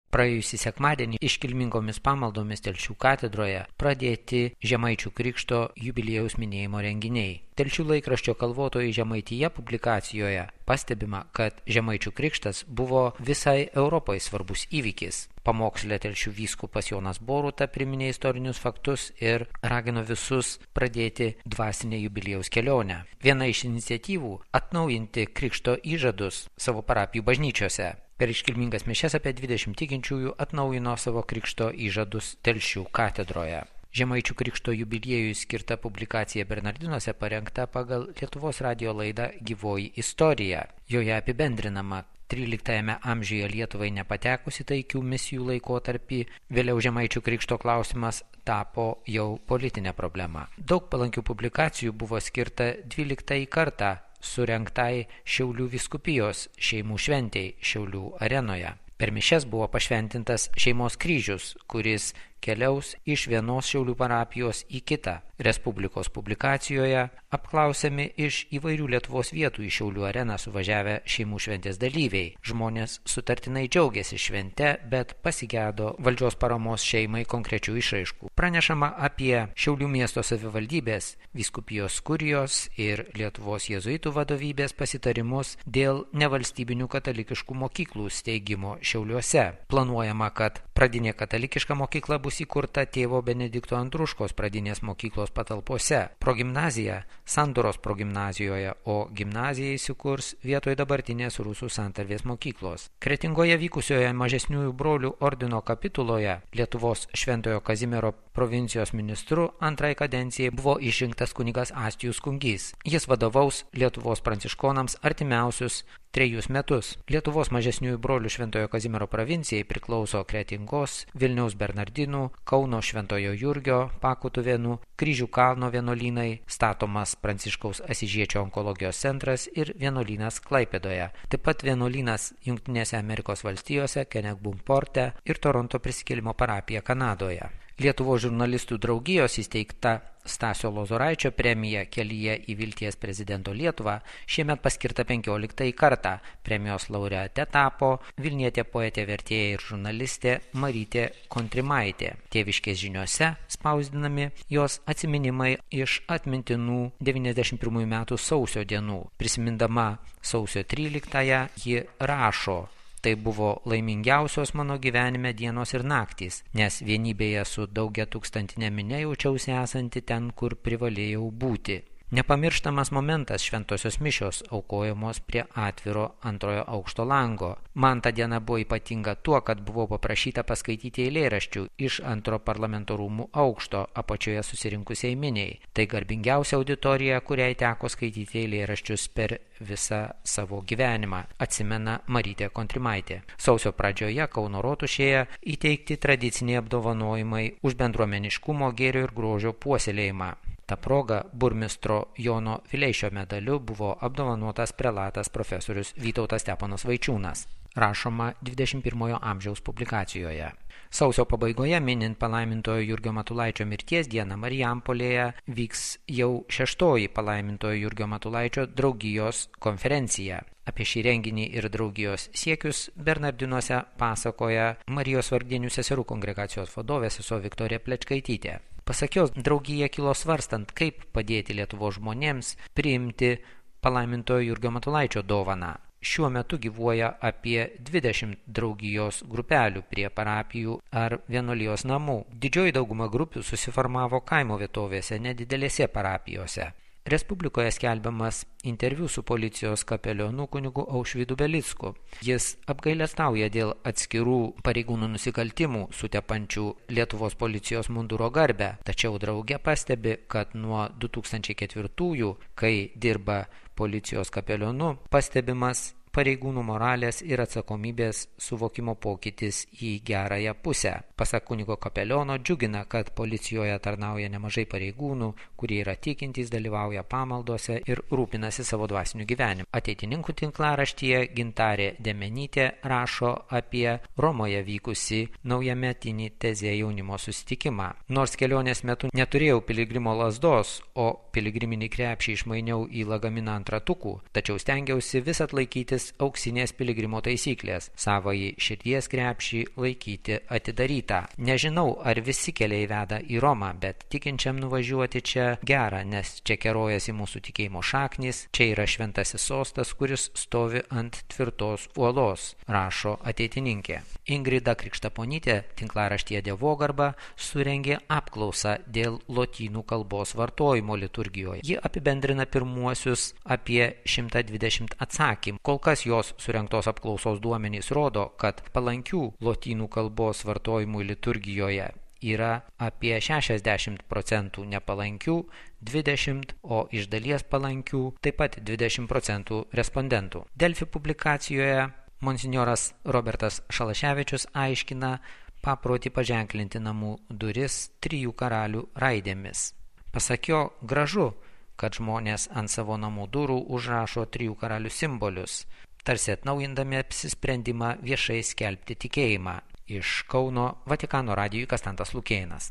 Praėjusį sekmadienį iškilmingomis pamaldomis Telšių katedroje pradėti Žemaičių Krikšto jubiliejaus minėjimo renginiai. Telšių laikraščio Kalvotoji Žemaitija publikacijoje pastebima, kad Žemaičių Krikštas buvo visai Europai svarbus įvykis. Pamokslė Telšių vyskupas Jonas Boruta priminė istorinius faktus ir ragino visus pradėti dvasinę jubiliejaus kelionę. Viena iš iniciatyvų – atnaujinti Krikšto įžadus savo parapijų bažnyčiose. Per iškilmingas mišias apie 20 tikinčiųjų atnaujino savo Krikšto įžadus Telšių katedroje. Žemaičių Krikšto jubiliejui skirta publikacija Bernardinuose parengta pagal Lietuvos radijo laidą Gyvoji istorija. Joje apibendrinama 13 amžiuje Lietuvai nepatekusi taikių misijų laikotarpį, vėliau Žemaičių Krikšto klausimas tapo jau politinė problema. Daug palankių publikacijų buvo skirta 12 kartą surengtai Šiaulių vyskupijos šeimų šventei Šiaulių arenoje. Per mišias buvo pašventintas šeimos kryžius, kuris keliaus iš vienos Šiaulių parapijos į kitą. Respublikos publikacijoje apklausiami iš įvairių Lietuvos vietų į Šiaulių areną suvažiavę šeimų šventės dalyviai. Žmonės sutartinai džiaugiasi švente, bet pasigedo valdžios paramos šeimai konkrečių išraiškų. Pranešama apie Šiaulių miesto savivaldybės, vyskupijos kurijos ir Lietuvos jėzuitų vadovybės pasitarimus dėl nevalstybinių katalikiškų mokyklų steigimo Šiauliuose. Planuojama, kad pradinė katalikiška mokykla bus įkurta tėvo Benedikto Andruškos pradinės mokyklos patalpose. Progimnazija Sandoros progimnazijoje, o gimnazija įsikurs vietoj dabartinės Rusų santarvės mokyklos. Kretingoje vykusioje mažesniųjų brolių ordino kapituloje Lietuvos Šventojo Kazimiero provincijos ministru antrai kadencijai buvo išrinktas kunigas Astijus Kungys. Jis vadovaus Lietuvos pranciškonams artimiausius 3 metus. Lietuvos mažesniųjų brolių Šventojo Kazimiero provincijai priklauso Kretingos, Vilniaus Bernardinų, Kauno Šventojo Jurgio, Pakutuvėnų, Kryžių kalno vienuolynai, statomas Pranciškaus Asyžiečio onkologijos centras ir vienuolynas Klaipėdoje. Taip pat vienuolynas Jungtinėse Amerikos valstijose, Kenegbumporte ir Toronto prisikėlimo parapija Kanadoje. Lietuvos žurnalistų draugijos įsteigta Stasio Lozoraičio premija Kelyje į vilties prezidento Lietuvą šiemet paskirta 15 kartą. Premijos laureate tapo vilnietė poetė, vertėja ir žurnalistė Marytė Kontrimaitė. Tėviškės žiniose spausdinami jos atsiminimai iš atmintinų 91 metų sausio dienų. Prisimindama sausio 13-ąją ji rašo: Tai buvo laimingiausios mano gyvenime dienos ir naktys, nes vienybėje su daugiatūkstantinė minia jaučiausi esanti ten, kur privalėjau būti. Nepamirštamas momentas šventosios mišios aukojamos prie atviro antrojo aukšto lango. Man ta diena buvo ypatinga tuo, kad buvau paprašyta paskaityti eilėraščių iš antro parlamento rūmų aukšto apačioje susirinkusiai miniai. Tai garbingiausia auditorija, kuriai teko skaityti eilėraščius per visą savo gyvenimą, atsimena Marytė Kontrimaitė. Sausio pradžioje Kauno rotušėje įteikti tradiciniai apdovanojimai už bendruomeniškumo, gėrio ir grožio puoselėjimą. Ta proga burmistro Jono Vileišio medaliu buvo apdovanotas prelatas profesorius Vytautas Steponas Vaičiūnas. Rašoma 21 amžiaus publikacijoje. Sausio pabaigoje, minint palaimintojo Jurgio Matulaičio mirties dieną, Marijampolėje vyks jau 6. palaimintojo Jurgio Matulaičio draugijos konferencija. Apie šį renginį ir draugijos siekius Bernardinuose pasakoja Marijos vargdienių seserų kongregacijos vadovė sesuo Viktorija Plečkaitytė. Pasak jos, draugija kilo svarstant, kaip padėti Lietuvos žmonėms priimti palaimintojo Jurgio Matulaičio dovaną. Šiuo metu gyvuoja apie 20 draugijos grupelių prie parapijų ar vienuolijos namų. Didžioji dauguma grupių susiformavo kaimo vietovėse, nedidelėse parapijose. Respublikoje skelbiamas interviu su policijos kapelionu kunigu Aušvydu Belicku. Jis apgailestauja dėl atskirų pareigūnų nusikaltimų sutepančių Lietuvos policijos munduro garbę, tačiau draugė pastebi, kad nuo 2004-ųjų, kai dirba policijos kapelionu, pastebimas pareigūnų moralės ir atsakomybės suvokimo pokytis į gerąją pusę. Pasak kunigo kapeliono, džiugina, kad policijoje tarnauja nemažai pareigūnų, kurie yra tikintys, dalyvauja pamaldose ir rūpinasi savo dvasiniu gyvenimu. Ateitininkų tinklaraštyje Gintarė Demenytė rašo apie Romoje vykusi naujametinį Tezė jaunimo susitikimą. Nors kelionės metu neturėjau piligrimo lazdos, o piligriminį krepšį išmainiau į lagaminą ant ratukų, tačiau stengiausi vis atlaikytis auksinės piligrimo taisyklės, savąjį širdies krepšį laikyti atidarytą. Nežinau, ar visi keliai veda į Romą, bet tikinčiam nuvažiuoti čia gera, nes čia kerojasi mūsų tikėjimo šaknys, čia yra šventasis sostas, kuris stovi ant tvirtos uolos, rašo ateitininkė. Ingrida Krikštaponytė tinklaraštyje Dievogarba surengė apklausą dėl lotynų kalbos vartojimo liturgijoje. Ji apibendrina pirmuosius apie 120 atsakymų. Kol kas jos surengtos apklausos duomenys rodo, kad palankių lotynų kalbos vartojimų liturgijoje yra apie 60%, nepalankių 20%, o iš dalies palankių taip pat 20% respondentų. Delfi publikacijoje monsinjoras Robertas Šalaševičius aiškina paprotį paženklinti namų duris 3 karalių raidėmis. Pasak jo, gražu, kad žmonės ant savo namų durų užrašo 3 karalių simbolius, tarsi atnaujindami apsisprendimą viešai skelbti tikėjimą. Iš Kauno Vatikano radijui Kastantas Lukėnas.